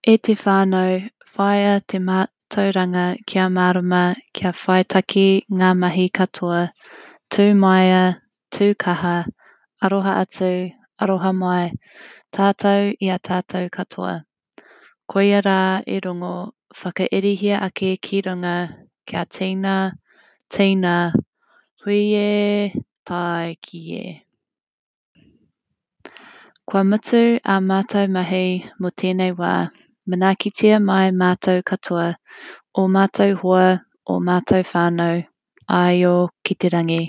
E te whānau, whāia te mātauranga kia mārama, kia whaitake ngā mahi katoa. Tū māia, tū kaha, aroha atu, aroha mai, tātou i a tātou katoa. Koia rā e rongo, whakairihia ake ki runga, kia tīna, tīna, hui e, tāiki e. Kua mutu ā mātou mahi mō tēnei wā, manaakitia mai mātou katoa, ō mātou hoa, ō mātou whānau, āio ki te rangi.